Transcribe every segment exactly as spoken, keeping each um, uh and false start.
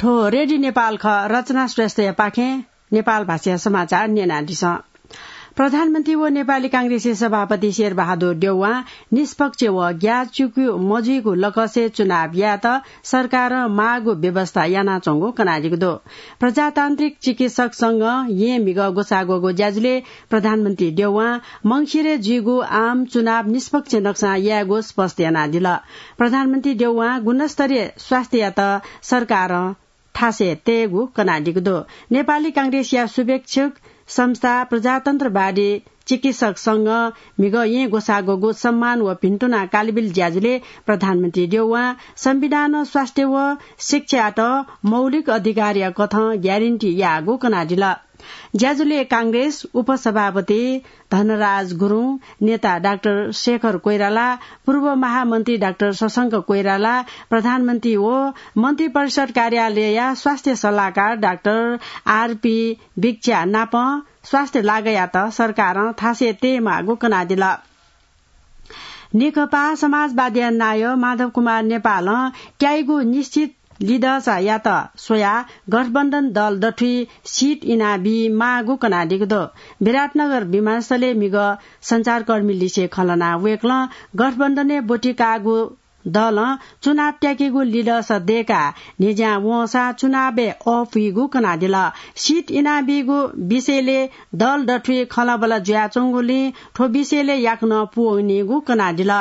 थ्व रेडियो नेपाल खः, रचना श्रेष्ठया पाखें नेपाल भाषाया समाचार न्यनादिसँ। प्रधानमन्त्री व नेपाली कांग्रेसया सभापति शेरबहादुर देउवां निष्पक्ष व ग्याःचिकु मजुइगु लकसय् चुनाव यायेत सरकारं माःगु व्यवस्था यानाच्वंगु कनादीगु दु। प्रजातान्त्रिक चिकित्सक संघं येँ म्हिगः ग्वसाःग्वःगु ज्याझ्वलय् प्रधानमन्त्री देउवां मंसिरय् जुइगु आम चुनाव निष्पक्ष नक्सां यायेगु स्पष्ट यानादिल। प्रधानमन्त्री देउवां गुणस्तरीय स्वास्थ्ययात सरकारं थासय् तयेगु कनादीगु दु। नेपाली कांग्रेसया शुभेच्छुक संस्था प्रजातन्त्रवादी चिकित्सक संघं म्हिगः येँ ग्वसाःग्वःगु सम्मान व भिन्तुना कालबिल ज्याझ्वलय् प्रधानमन्त्री देउवां संविधानं स्वास्थ्य व शिक्षायात मौलिक अधिकारया कथं ग्यारेन्टी याःगु कनादिल। ज्याझ्वलय् कांग्रेस उपसभापति धनराज गुरुङ, नेता डाक्टर शेखर कोइराला, पूर्व महामन्त्री डाक्टर शशांक कोइराला, प्रधानमन्त्री व मन्त्रिपरिषद कार्यालयया स्वास्थ्य सल्लाहकार डाक्टर आरपी बिक्च्या नापं स्वास्थ्य लागयात सरकारं थासय् तयेमाःगु कनादिल। नेकपा समाजवादीया नायः माधव कुमार नेपालं क्याइगु निश्चित लिधःचायात स्वयाः गठबन्धन दल दथुइ सिट इनाबी माःगु कनादीगु दु। विराटनगर विमानस्थलय् म्हिगः सञ्चारकर्मीलिसे खँ ल्हानाः वय्कलं गठबन्धनय् ब्वति काःगु दलं चुनाव त्याकेगु लिधःचा दय्काः न्हिज्यां वंसा चुनावय् अःपुइगु कनादिल। सिट इनाबीगु विषयलय् दल दथुइ खँल्हाबल्हा जुयाच्वंगुलिं थ्व विषयलय् याकनं पूवनीगु कनादिल।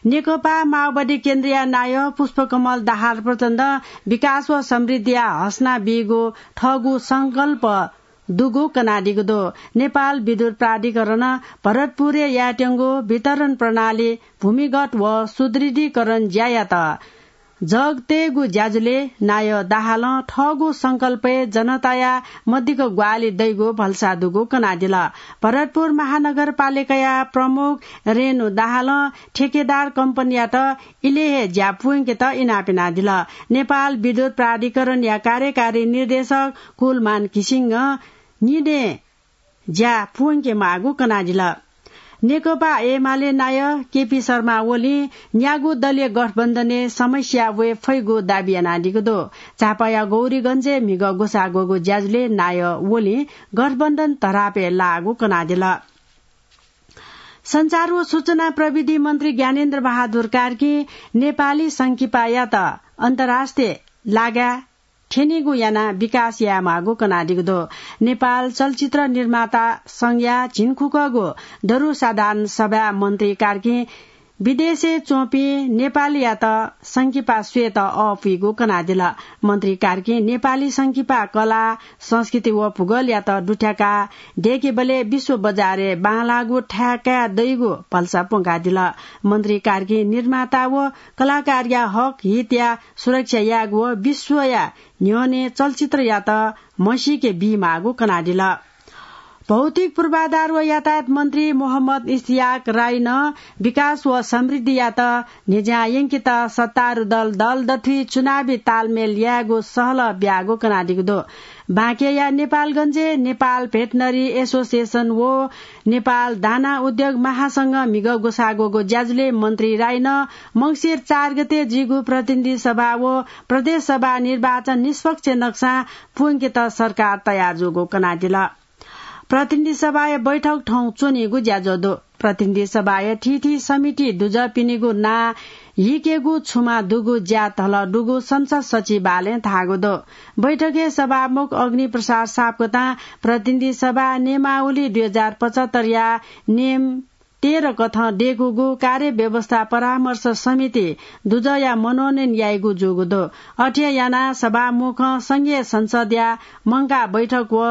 नेकपा माओवादी केन्द्रया नायः पुष्पकमल दाहाल प्रचण्डं विकास व समृद्धिया हसना बीगु थःगु संकल्प दुगु कनादीगु दु। नेपाल विद्युत प्राधिकरणं भरतपुरय् यायेत्यंगु वितरण प्रणाली भूमिगत व सुदृढीकरण ज्यायात जग तयेगु ज्याझ्वलय् नायः दाहालं थःगु संकल्पय् जनताया मदिक्क ग्वाहालि दइगु भलसा दुगु कनादिल। भरतपुर महानगरपालिकाया प्रमुख रेणु दाहालं ठेकेदार कम्पनीयात इलय् हे ज्या पूवंकेत इनाप यानादिल। नेपाल विद्युत प्राधिकरणया कार्यकारी निर्देशक कुलमान घिसिङं निदँय् ज्या पूवंके माःगु कनादिल। नेकपा एमाले नायः केपी शर्मा ओलीं न्यागू दलीय गठबन्धनय् समस्या वये फइगु दाबी यानादीगु दु। झापाया गौरीगञ्जय् म्हिगः ग्वसाः ग्वःगु ज्याझ्वलय् नायः ओलीं गठबन्धन धरापय् लाःगु कनादिल। सञ्चार व सूचना प्रविधि मन्त्री ज्ञानेन्द्र बहादुर कार्कीं नेपाली संकिपायात अन्तर्राष्ट्रिय लागाय् थ्यनीगु यानाः विकास यायेमाःगु कनादीगु दु। नेपाल चलचित्र निर्माता संघया झिंखुकःगु दरु साधारण सभाय् मन्त्री कार्कीं विदेशय् च्वंपिं नेपालीयात संकिपा स्वयेत अःपुइगु कनादिल। मन्त्री कार्कीं नेपाली संकिपा कला, संस्कृति व भूगोलयात दुथ्याकाः दय्केबलय् विश्व बजारय् बांलाःगु थाय् काये दइगु भलसा प्वंकादिल। मन्त्री कार्कीं निर्माता व कलाकारया हक हितया सुरक्षा यायेगु व विश्वया न्ह्यःने चलचित्रयात म्हसीके बीमाःगु कनादिल। भौतिक पूर्वाधार व यातायात मन्त्री मोहम्मद इस्तियाक राईनं विकास व समृद्धियात न्हिज्यां यंकेत सत्तारूढ दल दल दथुइ चुनावी तालमेल यायेगु सहलह ब्याःगु कनादीगु दु। बाँकेया नेपालगञ्जय् नेपाल भेटनरी एसोसिएसन व नेपाल दाना उद्योग महासंघं म्हिगः ग्वसाः ग्वःगु ज्याझ्वलय् मन्त्री राईनं मंसिर चार गते जुइगु प्रतिनिधि सभा व प्रदेश सभा निर्वाचन निष्पक्ष नक्सां पूवंकेत सरकार तयार जूगु कनादिल। प्रतिनिधि सभाया बैठक थौं च्वनीगु ज्याझ्वः दु। प्रतिनिधि सभाया थीथी समिति दुजःपिनिगु नां हीकेगु छुमा दुगु ज्या धलः दुगु संसद सचिवालयं धाःगु दु। बैठकय् सभामुख अग्निप्रसाद सापकोटां प्रतिनिधि सभा नियमावली दुई हजार पचहत्तरया नियम तेह्र कथं दय्कूगु कार्यव्यवस्था परामर्श समिति दुजःया मनोनयन याइगु जूगु दु। अथे यानाः सभामुखं संघीय संसदया मंकाः बैठक व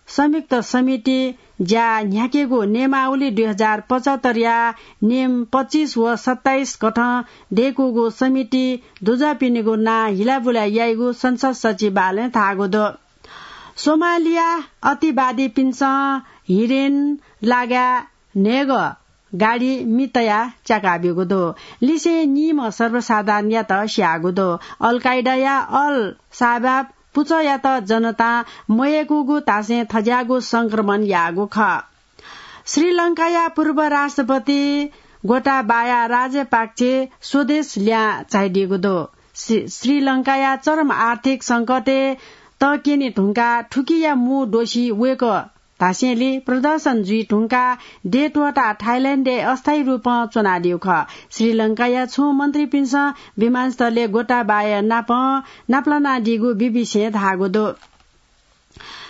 संयुक्त समिति ज्या न्ह्याकेगु नियमावली दुई हजार पचहत्तरया नियम पच्चिस व सत्ताइस कथं दय्कूगु समिति दुजःपिनिगु नां हिलाबुला याइगु संसद सचिवालयं धाःगु दु। सोमालिया अतिवादीपिन्सं हिरेन लागाय् न्हय्गः गाडी मि तयाः च्याकाब्यूगु दु। लिसें नीम्ह सर्वसाधारणयात स्याःगु दु। अल कायदाया अल शाबाब पुचःयात जनतां मयय्कूगु धासें थज्याःगु संक्रमण याःगु खः। श्रीलंकाया पूर्व राष्ट्रपति गोटाबाया राजपाक्से स्वदेश लिहां झाइदीगु दु। श्री-, श्रीलंकाया चरम आर्थिक संकटय् तक्यने धुंकाः थुकिया मू दोषी वय्कः धासेंलि प्रदर्शन जुइ धुंकाः देय् त्वःताः थाइल्याण्डय् अस्थायी रूपं च्वनादीगु खः। श्रीलंकाया छुं मन्त्रीपिन्सं विमानस्थलय् गोटाबाया नापं नापलानादीगु बीबीसीं धाःगु दु।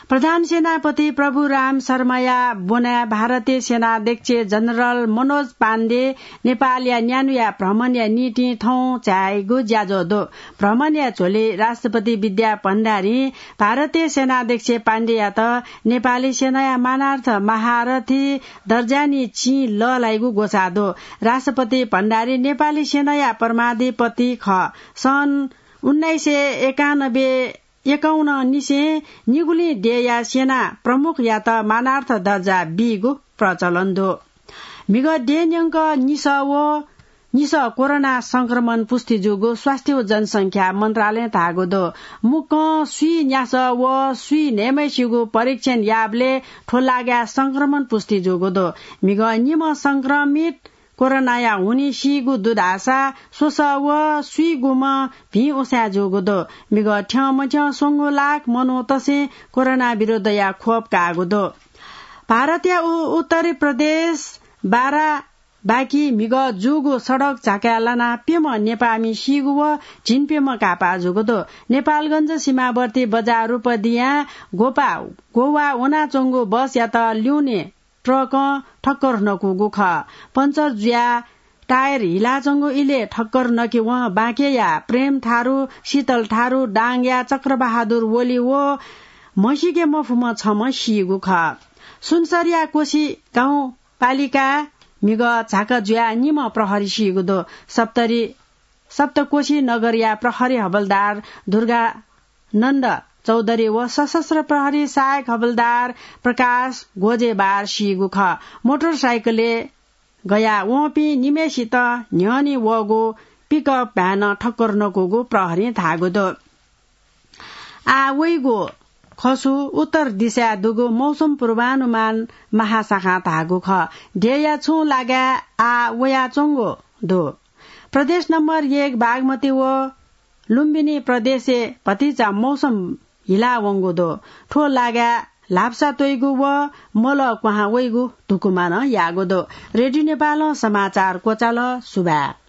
प्रधान सेनापति प्रभुराम शर्माया ब्वनाय् भारतीय सेनाध्यक्ष जनरल मनोज पाण्डे नेपालया न्यान्हुया भ्रमणया निंतिं थौं झायेगु ज्याझ्वः दु। भ्रमणया झ्वलय् राष्ट्रपति विद्या भण्डारीं भारतीय सेनाध्यक्ष पाण्डेयात नेपाली सेनाया मानार्थ महारथी दर्जानिं चिं लःल्हाइगु ग्वसाः दु। राष्ट्रपति भण्डारी नेपाली सेनाया परमाधिपति खः। सन् उन्नाइस सय एकानब्बे एकाउन्न निसें निगुलिं देय्‌या सेना प्रमुखयात मानार्थ दर्जा बीगु प्रचलन दु। म्हिगः देय् न्यंक निसः व निसः कोरोना संक्रमण पुष्टि जूगु स्वास्थ्य व जनसंख्या मन्त्रालयं धाःगु दु। मुक्कं स्वीन्यासः व स्वीन्हय्‌म्हय्‌सिगु परीक्षण याःबलय् थ्व लागाय् संक्रमण पुष्टि जूगु दु। म्हिगः निम्ह संक्रमित कोरोनाया हुनिं सीगु दु धाःसा स्वसः व स्वीगुम्ह भिं उसाँय् जूगु दु। म्हिगः थ्यंमथ्यं स्वंगू लाख मनूतय्‌सं कोरोना विरुद्धया खोप काःगु दु। भारतया उ-, उत्तरी प्रदेश बाराबांकी म्हिगः जूगु सडक झाकाय् लानाः प्यम्ह नेपाःमि सीगु व झिंप्यम्ह काःपाः जूगु दु। नेपालगञ्ज सीमावर्ती बजार रूपदियां ग्वपाः ग्ववाः वनाच्वंगु बसयात ल्यूने ट्रकं ठक्कर नकूगु खः। पञ्चर जुयाः टायर हिलाच्वंगु इलय् ठक्कर नकेवं बाँकेया प्रेम थारु, शीतल थारु, दाङया चक्रबहादुर ओली व म्हसीके मफुम्ह छम्ह सीगु खः। सुनसरया कोशी गाउँपालिकाय् म्हिगः झाका जुयाः निम्ह प्रहरी सीगु दु। सप्तरी सप्तकोशी नगरया प्रहरी हवलदार दुर्गानन्द चौधरी व सशस्त्र प्रहरी सहायक हवलदार प्रकाश गोजेबार सीगु खः। मोटरसाइकलय् गया वंपिं निम्हय्‌सित न्ह्यःने वःगु पिकअप भ्यानं ठक्कर नकूगु प्रहरीं धाःगु दु। आः वइगु खसु उत्तर दिशाय् दुगु मौसम पूर्वानुमान महाशाखां धाःगु खः। देय्‌या छुं लागाय् आः वयाच्वंगु दु। प्रदेश नम्बर एक बागमती व लुम्बिनी प्रदेशय् भतिचा मौसम हिलावंगु दु। थ्व लागाय् ल्हापसा त्वइगु व मलः क्वहां वइगु धुकुमानं याःगु दु। रेडियो नेपालं समाचार क्वचाल। सुभाय्।